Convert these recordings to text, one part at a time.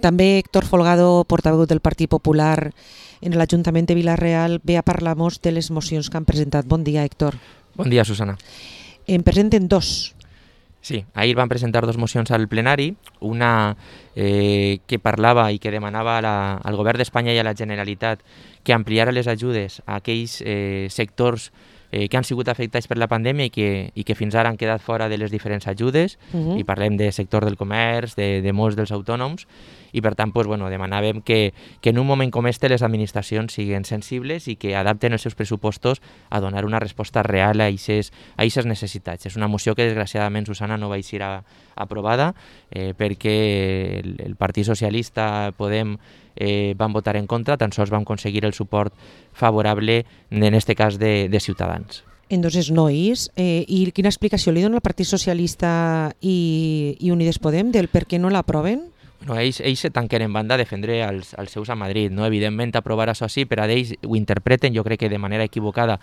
També Héctor Folgado, portaveu del Partit Popular en l'Ajuntament de Vila-real, ve a parlar-nos de les mocions que han presentat. Bon dia, Héctor. Bon dia, Susana. En presenten dos. Sí, ahir van presentar dos mocions al plenari, una que parlava i que demanava al Govern d'Espanya i a la Generalitat que ampliara les ajudes a aquells sectors que han sigut afectats per la pandèmia i que fins ara han quedat fora de les diferents ajudes, i parlem del sector del comerç, de molts dels autònoms, i per tant demanàvem que en un moment com este les administracions siguin sensibles i que adapten els seus pressupostos a donar una resposta real a aquestes necessitats. És una moció que desgraciadament, Susana, no va ser aprovada perquè el Partit Socialista, Podem, van votar en contra, tan sols vam aconseguir el suport favorable, en aquest cas de Ciutadans. Entonces no és. I quina explicació li dona el Partit Socialista i Unides Podem del per què no l'aproven? Ells se tanquen en banda a defendre els seus a Madrid. No? Evidentment, aprovar això sí, però ells ho interpreten, jo crec que de manera equivocada,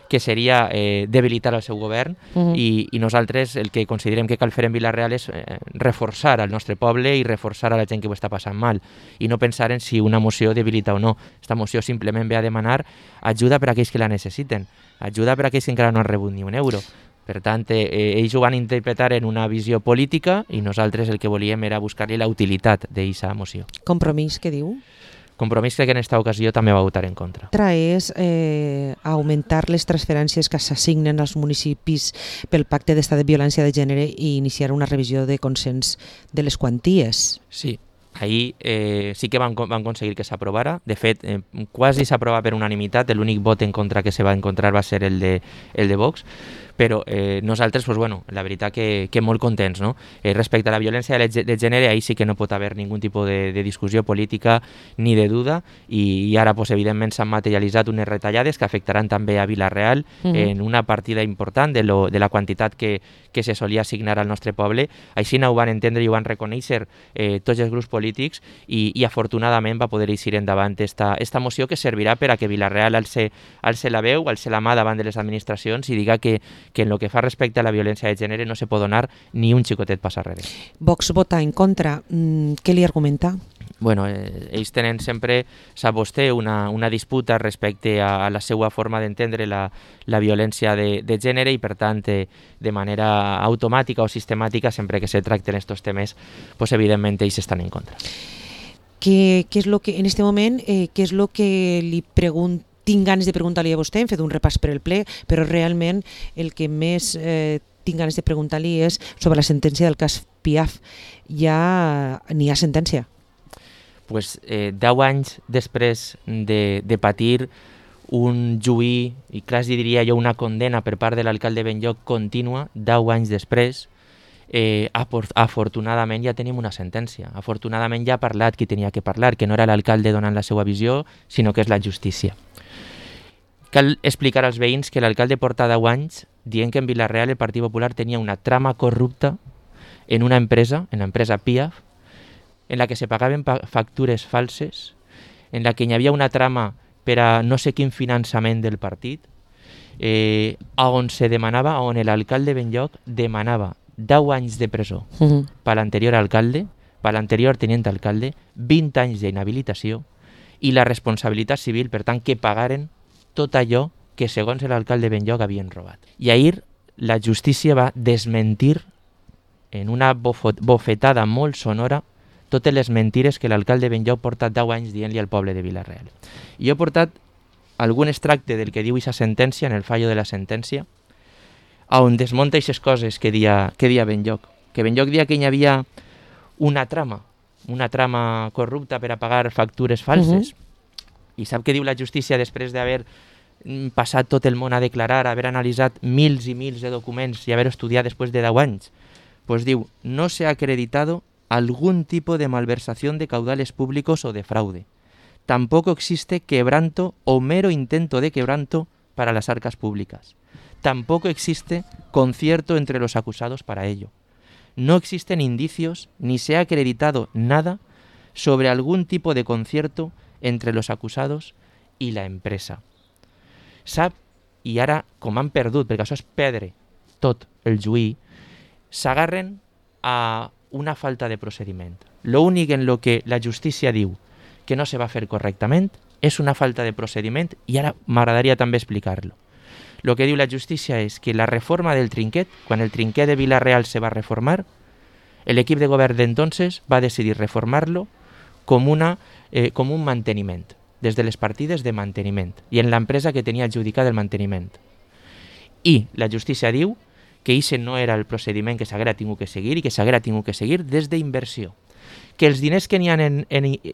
que seria debilitar el seu govern, i nosaltres el que considerem que cal fer en Vila-real és reforçar el nostre poble i reforçar a la gent que ho està passant mal, i no pensar en si una moció debilita o no. Esta moció simplement ve a demanar ajuda per a aquells que la necessiten, ajuda per a aquells que encara no han rebut ni un euro. Per tant, ells ho van interpretar en una visió política i nosaltres el que volíem era buscar-li la utilitat d'aquesta moció. Compromís, què diu? Compromís que en aquesta ocasió també va votar en contra. L'altra és augmentar les transferències que s'assignen als municipis pel pacte d'estat de violència de gènere i iniciar una revisió de consens de les quanties. Sí, ahir sí que van aconseguir que s'aprovara. De fet, quasi s'aprova per unanimitat. L'únic vot en contra que se va encontrar va ser el de Vox. Però nosaltres, la veritat que molt contents, no? Respecte a la violència de gènere, ahí sí que no pot haver ningú tipus de discussió política ni de duda, i ara evidentment s'han materialitzat unes retallades que afectaran també a Vila-real en una partida important de la quantitat que se solia assignar al nostre poble. Així ho van entendre i ho van reconèixer tots els grups polítics, i afortunadament va poder eixir endavant esta moció, que servirà per a que Vila-real alce la veu, alce la mà davant de les administracions i diga que en el que fa respecte a la violència de gènere no se pot donar ni un xicotet pas arrere. Vox vota en contra. Què li argumenta? Ells tenen sempre, sap vostè, una disputa respecte a la seva forma d'entendre la violència de gènere, i per tant, de manera automàtica o sistemàtica, sempre que se tracten aquests temes, evidentment ells estan en contra. Què és lo que, en aquest moment, què és el que li pregunta? Tinc ganes de preguntar-li a vostè, hem fet un repàs per el ple, però realment el que més tinc ganes de preguntar-li és sobre la sentència del cas Piaf. Ja n'hi ha sentència? 10 anys després de patir un juí, i quasi diria jo una condena per part de l'alcalde Benlloc contínua, 10 anys després, afortunadament ja tenim una sentència. Afortunadament ja ha parlat qui tenia que parlar, que no era l'alcalde donant la seva visió, sinó que és la justícia. Cal explicar als veïns que l'alcalde porta 10 anys dient que en Vila-real el Partit Popular tenia una trama corrupta en una empresa, en l'empresa Piaf, en la que se pagaven factures falses, en la que hi havia una trama per a no sé quin finançament del partit, on se demanava, on l'alcalde Benlloc demanava 10 anys de presó per l'anterior alcalde, per l'anterior tenient alcalde, 20 anys d'inhabilitació i la responsabilitat civil, per tant, que pagaren tot allò que, segons l'alcalde Benlloc, havien robat. I ahir la justícia va desmentir en una bofetada molt sonora totes les mentires que l'alcalde Benlloc porta 10 anys dient-li al poble de Vila-real. I jo he portat algun extracte del que diu aquesta sentència, en el fallo de la sentència, on desmunta aquestes coses que dia Benlloc. Que Benlloc dia que hi havia una trama corrupta per a pagar factures falses. I sap què diu la justícia després d'haver passat tot el món a declarar, haver analitzat mils i mils de documents i haver estudiat després de 10 anys? Pues diu, no se ha acreditado algún tipo de malversación de caudales públicos o de fraude. Tampoco existe quebranto o mero intento de quebranto para las arcas públicas. Tampoco existe concierto entre los acusados para ello. No existen indicios ni se ha acreditado nada sobre algún tipo de concierto entre los acusados i la empresa. Sap, i ara, com han perdut, perquè això és perdre tot el juí, s'agarren a una falta de procediment. L'únic en lo que la justícia diu que no se va fer correctament és una falta de procediment i ara m'agradaria també explicar-lo. Lo que diu la justícia és que la reforma del trinquet, quan el trinquet de Vila-real se va reformar, l'equip de govern d'entonces va decidir reformar-lo com un manteniment, des de les partides de manteniment i en l'empresa que tenia adjudicat el manteniment. I la justícia diu que aquest no era el procediment que s'haguera tingut que seguir i que s'haguera tingut que seguir des d'inversió. Que els diners que n'hi ha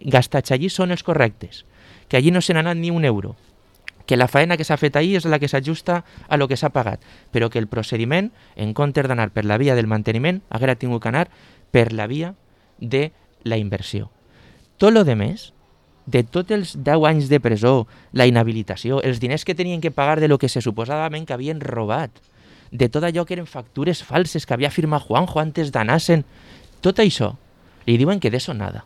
gastats allí són els correctes, que allí no se n'ha anat ni un euro, que la faena que s'ha fet ahir és la que s'ajusta a lo que s'ha pagat, però que el procediment, en comptes d'anar per la via del manteniment, haguera tingut que anar per la via de la inversió. Tot lo demés, de tots els 10 anys de presó, la inhabilitació, els diners que tenien que pagar de lo que se suposadament que havien robat, de tot allò que eren factures falses que havia firmat Juanjo antes d'anar-se'n, tot això li diuen que d'això nada.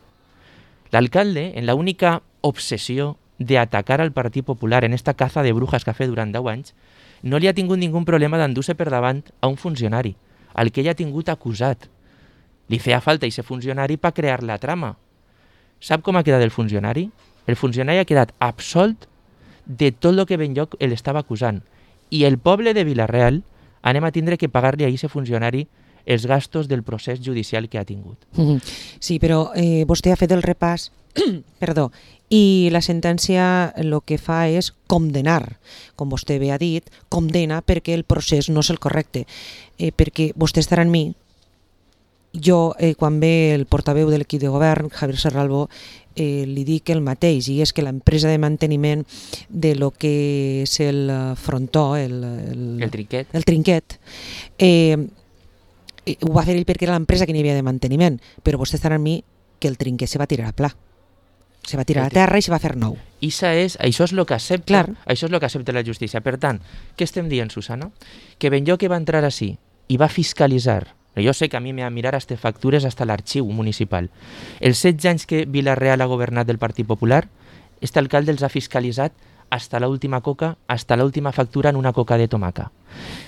L'alcalde, en la única obsessió de atacar al Partit Popular en esta caza de brujas que ha fet durant 10 anys, no li ha tingut ningú problema d'endur-se per davant a un funcionari, al que ell ha tingut acusat. Li feia falta aquest funcionari per crear la trama. Sap com ha quedat el funcionari? El funcionari ha quedat absolt de tot el que ben lloc l'estava acusant. I el poble de Vila-real anem a tindre que pagar-li a aquest funcionari els gastos del procés judicial que ha tingut. Sí, però vostè ha fet el repàs, perdó, i la sentència el que fa és condenar, com vostè bé ha dit, condena perquè el procés no és el correcte, perquè vostè estarà en mi. Jo, quan ve el portaveu de l'equip de govern, Javier Serralbo, li dic el mateix, i és que l'empresa de manteniment de lo que és el frontó, el trinquet, ho va fer ell perquè era l'empresa que n'hi havia de manteniment, però vostè estarà amb mi que el trinquet se va tirar a pla. Se va tirar a terra i se va fer nou. Això és el que accepta, això és el que accepta la justícia. Per tant, què estem dient, Susana? Que ben jo que va entrar així i va fiscalitzar, jo sé que a mi m'ha mirar hasta factures hasta l'arxiu municipal. Els 16 anys que Vila-real ha governat del Partit Popular, este alcalde els ha fiscalitzat hasta l'última coca, hasta l'última factura en una coca de tomaca.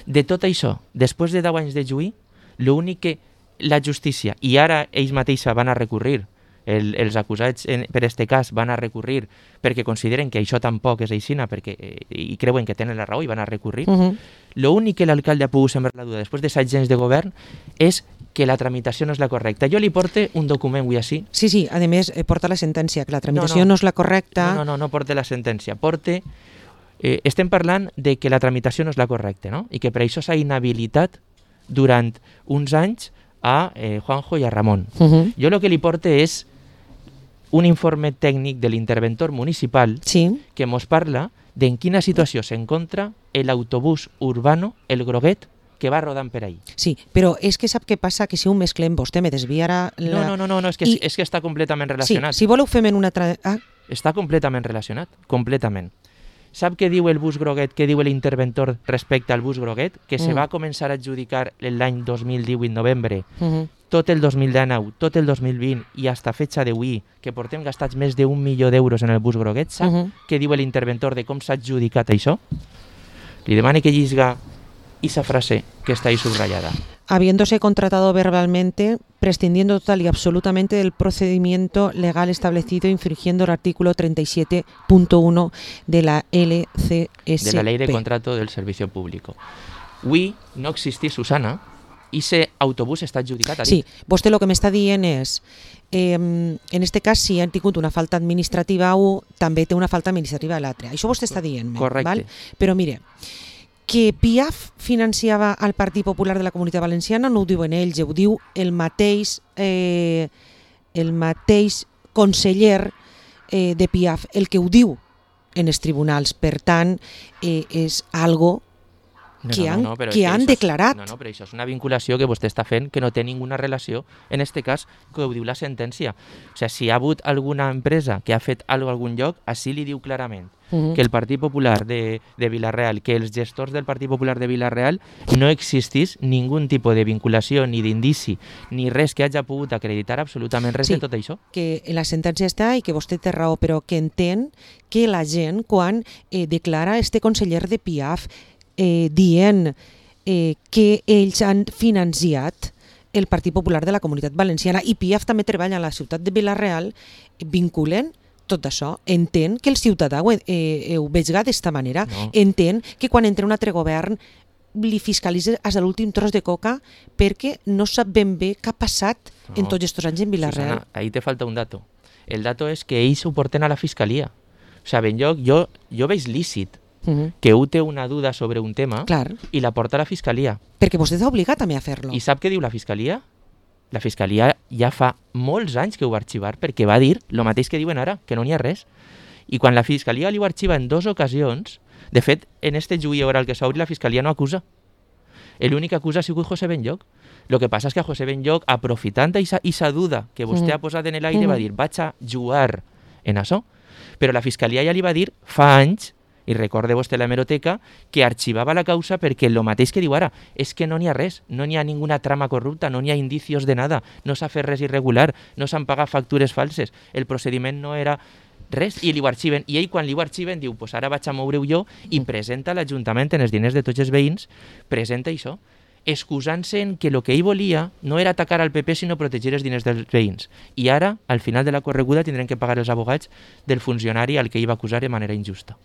De tot això, després de 10 anys de juí, l'únic que la justícia, i ara ells mateixa van a recurrir, els acusats per este cas van a recurrir perquè consideren que això tampoc és aixina i creuen que tenen la raó i van a recurrir. L'únic que l'alcalde ha pogut sembrar la duda després de 7 anys de govern és que la tramitació no és la correcta. Jo li porte un document avui així. Sí, a més porta la sentència, que la tramitació no és la correcta. No porta la sentència. Estem parlant de que la tramitació no és la correcta, no? I que per això s'ha inhabilitat durant uns anys a Juanjo i a Ramon. Jo el que li porte és un informe tècnic de l'interventor municipal que ens parla d'en quina situació s'encontra l'autobús urbano, el groguet, que va rodant per ahí. Sí, però és que sap què passa? Que si ho mesclem, vostè me desviarà... No, és que està completament relacionat. Sí, si voleu fem en una... Està completament relacionat, completament. Sap què diu el bus groguet, què diu l'interventor respecte al bus groguet? Que se va començar a adjudicar l'any 2018, novembre, tot el 2019, tot el 2020 i hasta fecha d'avui, que portem gastats més d'1 milió d'euros en el bus groguet. Sap què diu l'interventor de com s'ha adjudicat això? Li demane que llisga esa frase que está ahí subrayada. Habiéndose contratado verbalmente, prescindiendo total y absolutamente del procedimiento legal establecido, infringiendo el artículo 37.1 de la LCSP. De la Ley de Contrato del Servicio Público. Avui no existís, Susana, i ese autobús està adjudicat a dit. Sí, vostè el que m'està dient és, en aquest cas, si han tingut una falta administrativa o també té una falta administrativa a l'altre. Això vostè està dient. Correcte. Val? Però mire, que Piaf financiava el Partit Popular de la Comunitat Valenciana no ho diuen ells, ho diu el mateix conseller de Piaf, el que ho diu en els tribunals. Per tant, és algo que han declarat. No, però això és una vinculació que vostè està fent que no té ninguna relació, en aquest cas, que ho diu la sentència. O sigui, si hi ha hagut alguna empresa que ha fet alguna cosa a algun lloc, així li diu clarament que el Partit Popular de Vila-real, que els gestors del Partit Popular de Vila-real no existís ningú tipus de vinculació, ni d'indici, ni res que hagi pogut acreditar absolutament res de tot això. Que la sentència està i que vostè té raó, però que entén que la gent, quan declara este conseller de Piaf dient que ells han financiat el Partit Popular de la Comunitat Valenciana, i Piaf també treballa a la ciutat de Vila-real, vinculen tot això. Entén que el ciutadà ho vegi d'esta manera. No. Entén que quan entra un altre govern li fiscalitza fins a l'últim tros de coca perquè no sap ben bé què ha passat en tots aquests anys en Vila-real. Susana, ahí te falta un dato. El dato és que ells ho porten a la fiscalia. O sea, Benlloc, jo veig lícit que un té una duda sobre un tema Clar, i la porta a la fiscalia. perquè vostè està obligat també a fer-lo. I sap què diu la fiscalia? La fiscalia ja fa molts anys que ho va arxivar perquè va dir el mateix que diuen ara, que no n'hi ha res. I quan la fiscalia li ho arxiva en 2 ocasions, de fet, en este juí oral que s'ha obrit, la fiscalia no acusa. L'únic que acusa ha sigut José Benlloc. Lo que passa és que a José Benlloc, aprofitant aquesta duda que vostè ha posat en l'aire, va dir, vaig a jugar en això. Però la fiscalia ja li va dir fa anys, i recorde vostè la hemeroteca, que arxivava la causa perquè el mateix que diu ara, és que no n'hi ha res, no n'hi ha ninguna trama corrupta, no n'hi ha indicios de nada, no s'ha fet res irregular, no s'han pagat factures falses, el procediment no era res, i li ho arxiven. I ell, quan li ho arxiven, diu, pues ara vaig a moure-ho jo, i presenta a l'Ajuntament, en els diners de tots els veïns, presenta això, excusant-se en que el que ell volia no era atacar al PP, sinó protegir els diners dels veïns. I ara, al final de la correguda, tindrem que pagar els abogats del funcionari al que ell va acusar de manera injusta.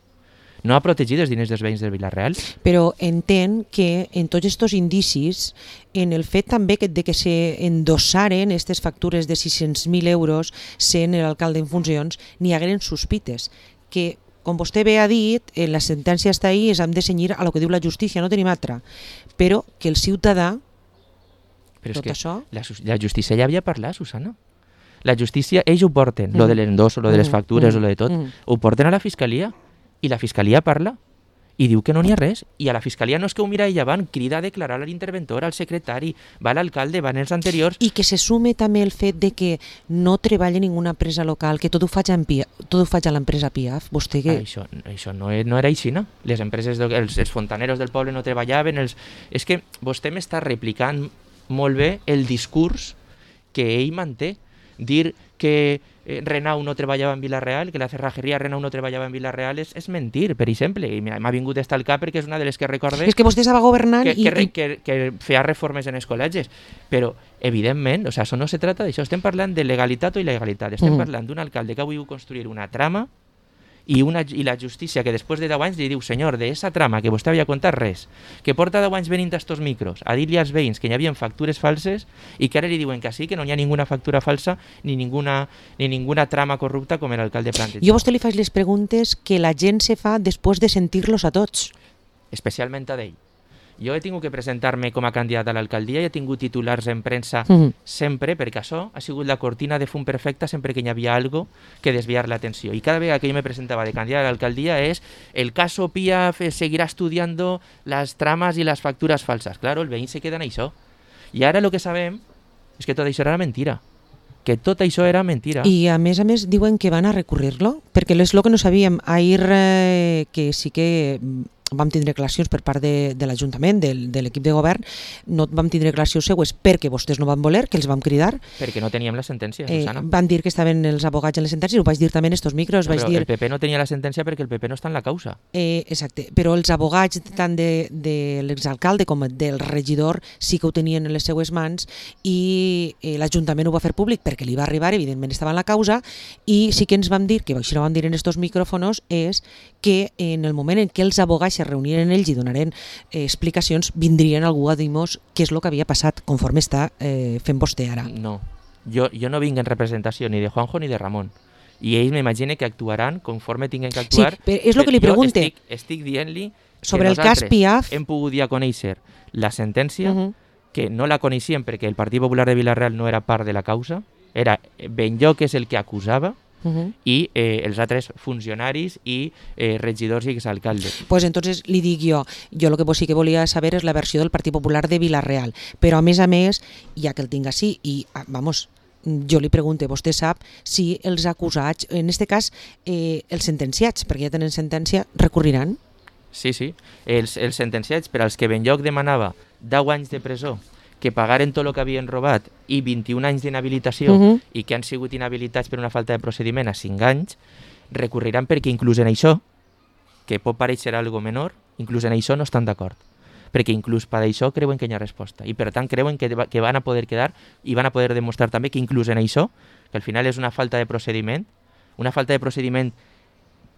No ha protegit els diners dels veïns de Vila-real. Però entén que en tots aquests indicis, en el fet també de que s'endossaren aquestes factures de 600.000 euros sent l'alcalde en funcions, n'hi hagueren sospites, que, com vostè bé ha dit, la sentència està ahí, és hem de cenyir a lo que diu la justícia, no tenim altra, però que el ciutadà, Però tot això... La justícia ja havia parlat, Susana. La justícia, ells ho porten, lo de l'endosso, lo de les factures, lo de tot, ho porten a la fiscalia. I la fiscalia parla i diu que no n'hi ha res. I a la fiscalia no és que ho mira ella, van, crida a declarar a l'interventor, al secretari, va l'alcalde, van els anteriors. I que se sume també el fet de que no treballa ninguna empresa local, que tot ho faig a l'empresa Piaf. Vostè que... Això no era així, no? Les empreses, els fontaneros del poble no treballaven. És que vostè m'està replicant molt bé el discurs que ell manté. Dir que Renau no treballava en Vila-real, que la cerrajeria Renau no treballava en Vila-real és mentir, per exemple. I m'ha vingut d'estar al cap perquè és una de les que recorde... És que vostè estava governant que feia reformes en els col·legis. Però, evidentment, o sea, això no se trata d'això. Estem parlant de legalitat o il·legalitat. Estem parlant d'un alcalde que ha volgut construir una trama i la justícia que després de 10 anys li diu, senyor, d'esa trama que vostè havia contat res, que porta 10 anys venint a estos micros a dir-li als veïns que hi havia factures falses i que ara li diuen que sí, que no hi ha ninguna factura falsa ni ninguna trama corrupta com l'alcalde planteja. Jo a vostè li faig les preguntes que la gent se fa després de sentir-los a tots. Especialment a d'ell. Jo he tingut que presentar-me com a candidat a l'alcaldia i he tingut titulars en premsa sempre, perquè això ha sigut la cortina de fum perfecta sempre que hi havia algo que desviar l'atenció. I cada vegada que jo me presentava de candidat a l'alcaldia és el caso Piaf seguirà estudiando las tramas i les factures falses. Claro, el veïn se queda en això. I ara el que sabem és que tot això era mentira. Que tot això era mentira. I a més diuen que van a recurrir-lo, perquè és el que no sabíem. Ahir que sí que vam tindre declaracions per part de l'Ajuntament, de l'equip de govern, no vam tindre declaracions seues perquè vostès no van voler, que els vam cridar. Perquè no teníem la sentència, Susana. Van dir que estaven els abogats en les sentències, ho vaig dir també en estos micros. No, el PP no tenia la sentència perquè el PP no està en la causa. Exacte, però els abogats tant de l'exalcalde com del regidor sí que ho tenien en les seues mans i l'Ajuntament ho va fer públic perquè li va arribar, evidentment estava en la causa, i sí que ens vam dir, que així no vam dir en estos micròfonos, és que en el moment en què els abogats se reuniren ells i donaren explicacions, vindrien algú a dir-nos què és el que havia passat, conforme està fent vostè ara. No, jo no vinc en representació ni de Juanjo ni de Ramon. I ells m'imagine que actuaran conforme tinguin que actuar. Sí, però és el que li pregunte. Estic dient-li sobre el cas Piaf hem pogut ja conèixer la sentència, que no la coneixíem perquè el Partit Popular de Vila-real no era part de la causa, era Benlloc que és el que acusava, i els altres funcionaris i regidors i exalcaldes. Pues entonces li dic jo el que sí que volia saber és la versió del Partit Popular de Vila-real, però a més, ja que el tinc així, i vamos, jo li pregunto, vostè sap si els acusats, en aquest cas els sentenciats, perquè ja tenen sentència, recurriran? Sí, els sentenciats per als que Benlloc demanava 10 anys de presó, que pagaren tot el que havien robat i 21 anys d'inhabilitació i que han sigut inhabilitats per una falta de procediment a 5 anys, recurriran perquè inclús en això, que pot pareixer algo menor, inclús en això no estan d'acord. perquè inclús per això creuen que hi ha resposta i per tant creuen que van a poder quedar i van a poder demostrar també que inclús en això, que al final és una falta de procediment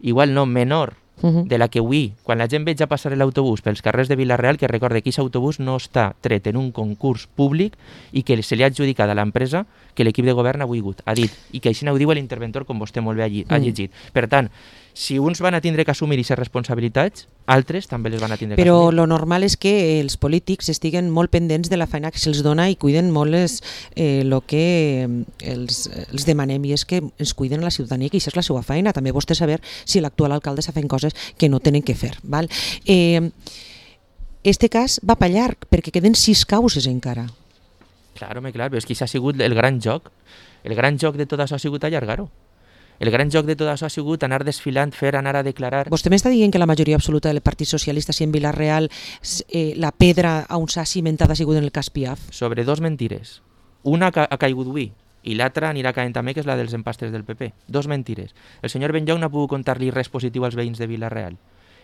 igual no menor de la que avui, quan la gent veig a passar l'autobús pels carrers de Vila-real, que recorde que aquest autobús no està tret en un concurs públic i que se li ha adjudicat a l'empresa que l'equip de govern ha volgut, ha dit, i que així ho diu l'interventor, com vostè molt bé ha llegit. Per tant, si uns van a tindre que assumir aquestes responsabilitats, altres també les van a tindre que Però assumir. lo normal és que els polítics estiguen molt pendents de la feina que se'ls dona i cuiden molt el que els demanem, i és que ens cuiden a la ciutadania, que això és la seva feina. També vostè saber si l'actual alcalde està fent coses que no tenen que fer. Val? Este cas va per llarg, perquè queden 6 causes encara. Clar, però és que això ha sigut el gran joc. El gran joc de tot això ha sigut allargar-ho. El gran joc de tot això ha sigut anar desfilant, anar a declarar... Vostè m'està dient que la majoria absoluta del Partit Socialista, si en Vila-real la pedra on s'ha cimentat ha sigut en el cas Piaf? Sobre 2 mentires. Una ha caigut avui i l'altra anirà caient també, que és la dels empastres del PP. 2 mentires. El senyor Benlloc no ha pogut contar-li res positiu als veïns de Vila-real.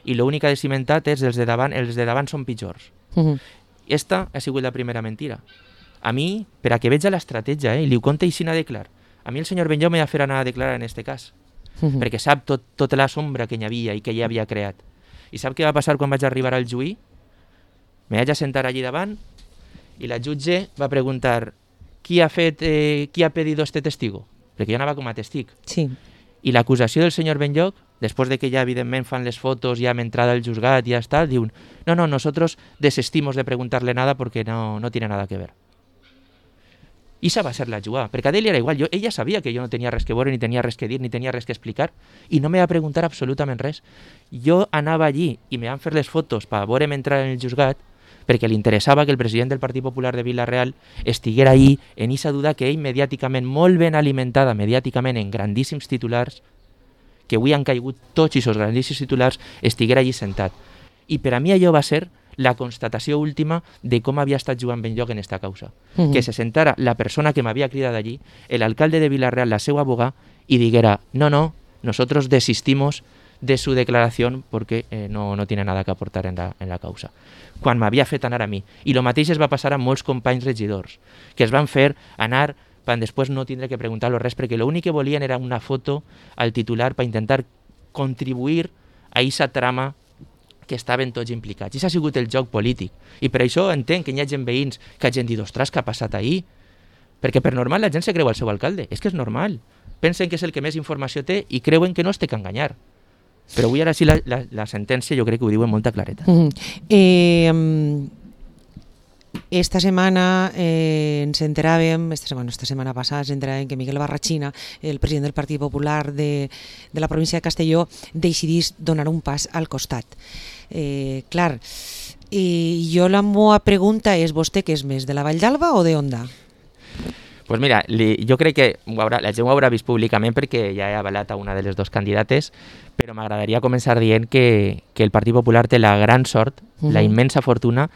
I l'únic que ha cimentat és els de davant són pitjors. Esta ha sigut la primera mentira. A mi, per a que veig l'estratègia, i li ho conta així de clar, a mi el senyor Benlloc m'ha de fer anar a declarar en este cas, perquè sap tota la sombra que hi havia i que ja havia creat. I sap què va passar quan vaig arribar al juí? Me vaig a sentar allí davant i la jutge va preguntar qui ha pedido este testigo? Perquè jo anava com a testig. Sí. I l'acusació del senyor Benlloc, després de que ja evidentment fan les fotos, ja amb entrada al juzgat i ja està, diu, no, nosotros desistimos de preguntarle nada porque no tiene nada que ver. I esa va ser la jugada, perquè a ell era igual, ella sabia que jo no tenia res que veure, ni tenia res que dir, ni tenia res que explicar, i no me va preguntar absolutament res. Jo anava allí i me van fer les fotos per veure'm entrar en el juzgat, perquè li interessava que el president del Partit Popular de Vila-real estiguera allí en esa duda que ell mediàticament, molt ben alimentada mediàticament en grandíssims titulars, que avui han caigut tots aquests grandíssims titulars, estiguera allí sentat. I per a mi allò va ser la constatació última de com havia estat jugant Benlloc en esta causa. Que se sentara la persona que m'havia cridat allí, l'alcalde de Vila-real, la seva abogada, i diguera, no, nosotros desistimos de su declaración porque no tiene nada que aportar en la causa. Quan m'havia fet anar a mi. I el mateix es va passar a molts companys regidors, que es van fer anar per després no tindre que preguntar-lo res, perquè l'únic que volien era una foto al titular per intentar contribuir a aquesta trama que estaven tots implicats. I això ha sigut el joc polític. I per això entenc que hi ha gent veïns que hagin dit, ostres, què ha passat ahir? Perquè per normal la gent se creu al seu alcalde. És que és normal. Pensen que és el que més informació té i creuen que no es té que enganyar. Però avui ara sí la sentència jo crec que ho diu amb molta clareta. Esta setmana ens enteràvem, esta setmana passada ens enteràvem que Miguel Barrachina, el president del Partit Popular de la província de Castelló, decidís donar un pas al costat. Clar, jo la meva pregunta és, vostè què és més, de la Vall d'Alba o de Onda? Pues mira, jo crec que la gent ho haurà vist públicament perquè ja he avalat a una de les dues candidates, però m'agradaria començar dient que el Partit Popular té la gran sort, la immensa fortuna,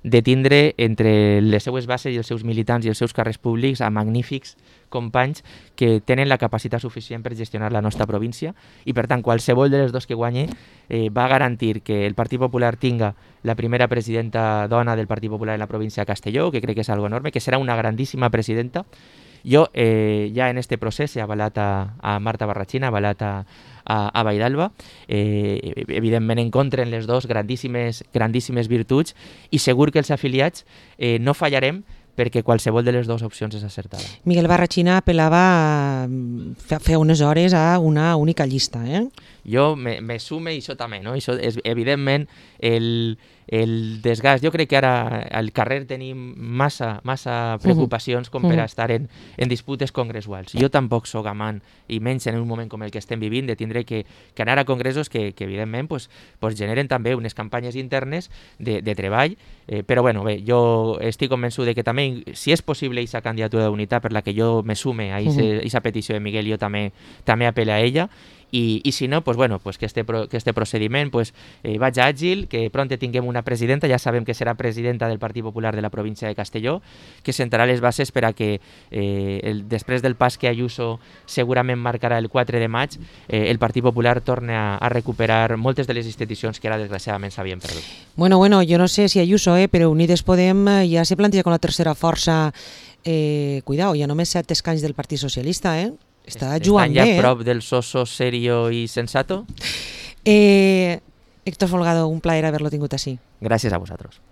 de tindre entre les seues bases i els seus militants i els seus càrrecs públics a magnífics companys que tenen la capacitat suficient per gestionar la nostra província i, per tant, qualsevol de les dos que guanyi va garantir que el Partit Popular tinga la primera presidenta dona del Partit Popular en la província de Castelló, que crec que és algo enorme, que serà una grandíssima presidenta. Jo ja en este procés he avalat a Marta Barrachina, he avalat a Vall d'Alba, evidentment en contra en les dos grandíssimes virtuts i segur que els afiliats no fallarem perquè qualsevol de les dues opcions és acertada. Miguel Barrachina apel·lava fa unes hores a una única llista, Jo me sume i això també, no? Això és, evidentment, el desgast. Jo crec que ara al carrer tenim massa preocupacions com per a estar en disputes congressuals. Jo tampoc sóc amant, i menys en un moment com el que estem vivint, de tindre que anar a congressos que evidentment, pues generen també unes campanyes internes de treball, però bueno, bé, jo estic convençut de que també, si és possible aquesta candidatura d'unitat per la que jo me sume a aquesta petició de Miguel, jo també apel·lo a ella, i si no, pues bueno, pues que este procediment pues, vagi àgil, que prompte tinguem una presidenta, ja sabem que serà presidenta del Partit Popular de la província de Castelló, que sentarà les bases per a que després del pas que Ayuso segurament marcarà el 4 de maig, el Partit Popular torni a recuperar moltes de les institucions que ara desgraciadament s'havien perdut. Bueno, jo no sé si Ayuso, però Unides Podem ja se planteja com la tercera força. Cuidao, ja només 7 escanys del Partit Socialista, Està jugant bé. Estan ja prop del soso, serio i sensato? Héctor Folgado, un plaer haver-lo tingut així. Gràcies a vosaltres.